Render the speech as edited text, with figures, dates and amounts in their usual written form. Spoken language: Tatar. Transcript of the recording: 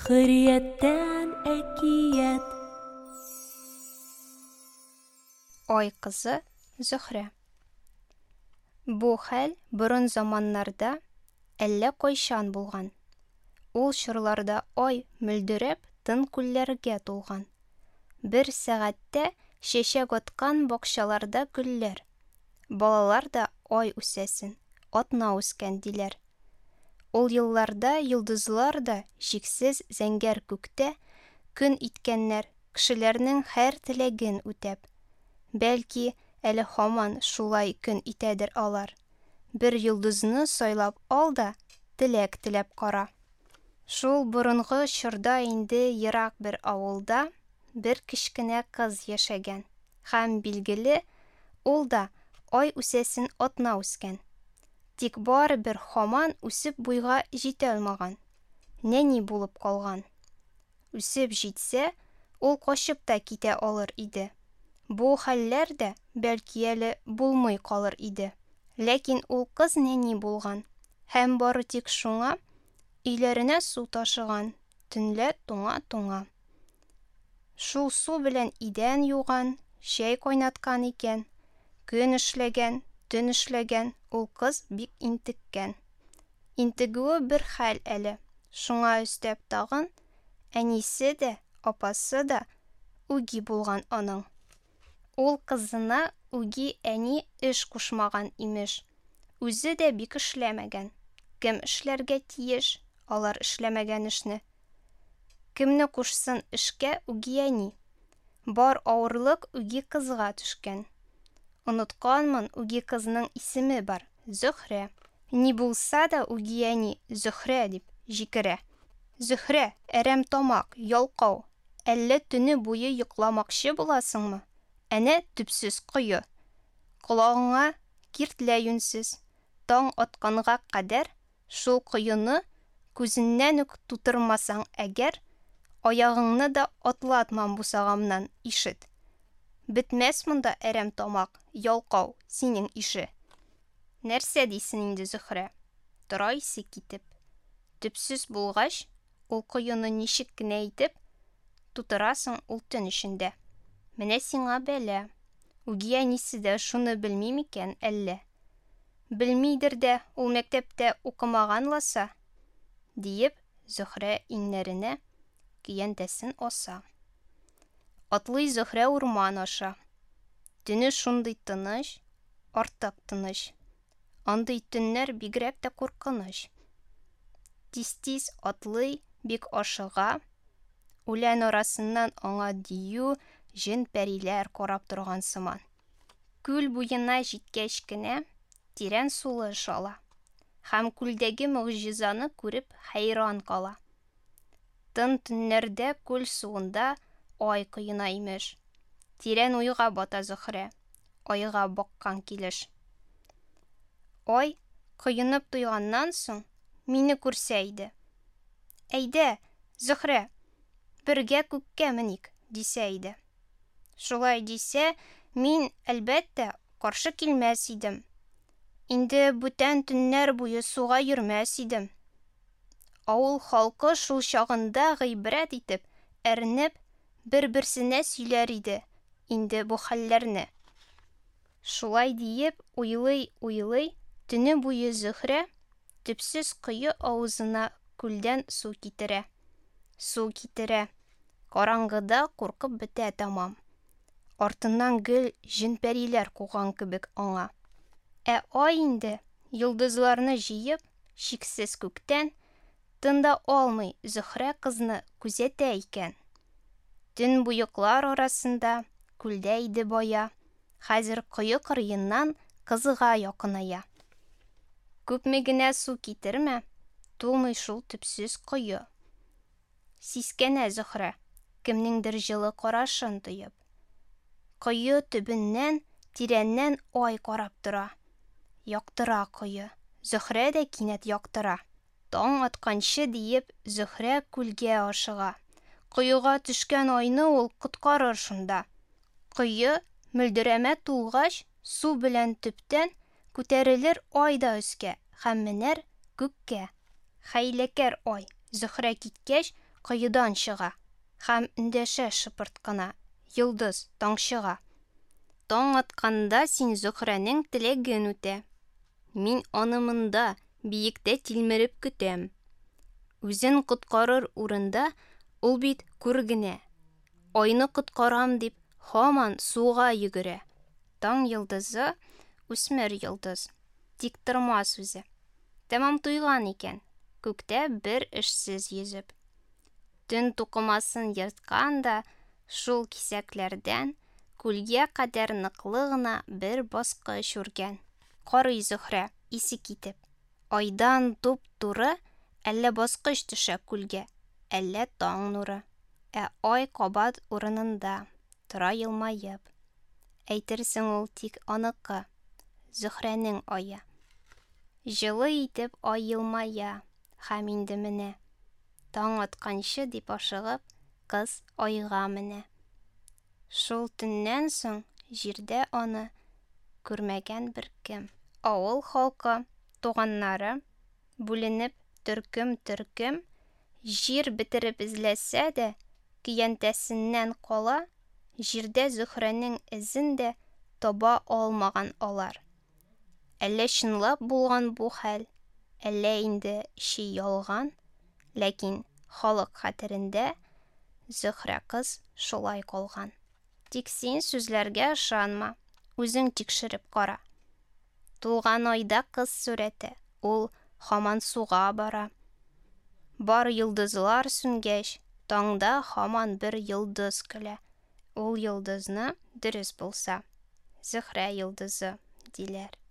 Хөррияттән әкият. Ай кызы Зөһрә. Бу хәл борын заманнарда әллә кайчан булган. Ул чорларда ай мөлдерәп тын күлләргә тулган. Бер сәгатьтә чәчәк аткан бакчаларда гөлләр. Балалар да ай үсәсен, атна үскән, диләр. Ул елларда йолдызлар да чиксез зәңгәр күктә көн иткәннәр, кешеләрнең һәр теләген үтәп. Бәлки, әле һаман шулай көн итәдер алар. Бер йолдызны сайлап ал да, теләк теләп кара. Шул борынгы чорда инде ерак бер авылда бер кечкенә кыз яшәгән. Һәм, билгеле, ул да ай үсәсен атна үскән. Тик барыбер һаман үсеп буйга җитә алмаган, нәни булып калган. Үсеп җитсә, ул качып та китә алыр иде. Бу хәлләр дә, бәлки әле, булмый калыр иде. Ләкин ул кыз нәни булган һәм бары тик шуңа өйләренә су ташыган, төнлә туңа-туңа. Шул су белән идән юган, чәй кайнаткан икән. Көн эшләгән, төн эшләгән, ул кыз бик интеккән. Интегүе бер хәл әле, шуңа өстәп тагын, әнисе дә, апасы да үги булган аның. Ул кызына үги әни эш кушмаган, имеш. Үзе дә бик эшләмәгән. Кем эшләргә тиеш алар эшләмәгән эшне? Кемне кушсын эшкә үги әни? Бар авырлык үги кызга төшкән. Онытканмын, үги кызның исеме бар, Зөһрә. Ни булса да үги әни Зөһрә дип җикерә. Зөһрә, әрәм тамак, ялкау, әллә төне буе йокламакчы буласыңмы? Әнә төпсез кое. Колагыңа киртлә юньсез. Таң атканга кадәр Шул коены күзеннән үк тутырмасаң әгәр, аягыңны да атлатмам бусагамнан, ишет. Бетмәс монда әрәм тамак, ялкау, синең ише. Нәрсә дисен инде Зөһрә? Тора исе китеп. Төпсез булгач, ул коены ничек кенә итеп тутырасың ул төн эчендә? Менә сиңа бәла. Үги әнисе дә шуны белми микән әллә? Белмидер дә, ул мәктәптә укымаган ласа, диеп, Зөһрә иңнәренә көянтәсен аса. Атлый Зөһрә урман аша. Төне шундый тыныч, артык тыныч. Андый төннәр бигрәк тә куркыныч. Тиз-тиз атлый, бик ашыга. Үлән арасыннан аңа дию, җен-пәриләр карап торган сыман. Күл буена җиткәч кенә, тирән сулыш ала һәм күлдәге могҗизаны күреп хәйран кала. Тын төннәрдә күл суында ай коена, имеш. Тирән уйга бата Зөһрә, айга баккан килеш. Ай, коенып туйганнан соң, мине күрсә иде. Әйдә, Зөһрә, бергә күккә меник, дисә иде. Шулай дисә, мин, әлбәттә, каршы килмәс идем. Инде бүтән төннәр буе суга йөрмәс идем. Авыл халкы шул чагында гыйбрәт итеп, әрнеп, бер-берсенә сөйләр иде инде бу хәлләрне. Шулай диеп уйлый-уйлый, төне буе Зөһрә төпсез кое авызына күлдән су китерә. Су китерә. Караңгыда куркып бетә тәмам. Артыннан гел җен-пәриләр куган кебек аңа. Ә ай инде, йолдызларны җыеп, чиксез күктән, тын да алмый Зөһрә кызны күзәтә икән. Төнбоеклар арасында, күлдә иде бая, хәзер кое кырыеннан кызга якыная. Күпме генә су китермә, тулмый шул төпсез кое. Сискәнә Зөһрә, кемнеңдер җылы карашын тоеп. Кое төбеннән, тирәннән ай карап тора. Яктыра кое. Зөһрә дә кинәт яктыра. Таң атканчы диеп, Зөһрә күлгә ашыга. Коега төшкән айны ул коткарыр шунда. Кое мөлдерәмә тулгач, су белән төптән күтәрелер ай да өскә һәм менәр күккә. Хәйләкәр ай, Зөһрә киткәч, коедан чыга һәм эндәшә шыпырт кына йолдыз таңчыга. Таң атканда син Зөһрәнең теләген үтә. Мин аны монда, биектә тилмереп көтәм. Үзен коткарыр урында ул бит күр генә. Айны коткарам дип, һаман суга йөгерә. Таң йолдызы, үсмер йолдыз, тик тормас үзе. Тәмам туйган икән, күктә бер эшсез йөзеп. Төн тукымасын ерткан да, шул кисәкләрдән күлгә кадәр ныклы гына бер баскыч үргән. Карый Зөһрә, исе китеп. Айдан туп-туры әллә баскыч төшә күлгә, әллә таң нуры. Ә ай кабат урынында, тора елмаеп. Әйтерсең ул тик аныкы, Зөһрәнең ае. Җылы итеп ай елмая һәм инде менә. Таң атканчы дип ашыгып, кыз айга менә. Шул төннән соң җирдә аны күрмәгән беркем. Авыл халкы, туганнары, бүленеп төркем-төркем, җир бетереп эзләсә дә, көянтәсеннән кала, җирдә Зөһрәнең эзен дә таба алмаган алар. Әллә чынлап булган бу хәл, әллә инде чи ялган, ләкин халык хәтерендә Зөһрә кыз шулай калган. Тик син сүзләргә ышанма, үзең тикшереп кара. Тулган айда кыз сурәте, ул һаман суга бара. Бар йолдызлар сүнгәч, таңда һаман бер йолдыз көлә. Ул йолдызны, дөрес булса, Зөһрә йолдызы, диләр.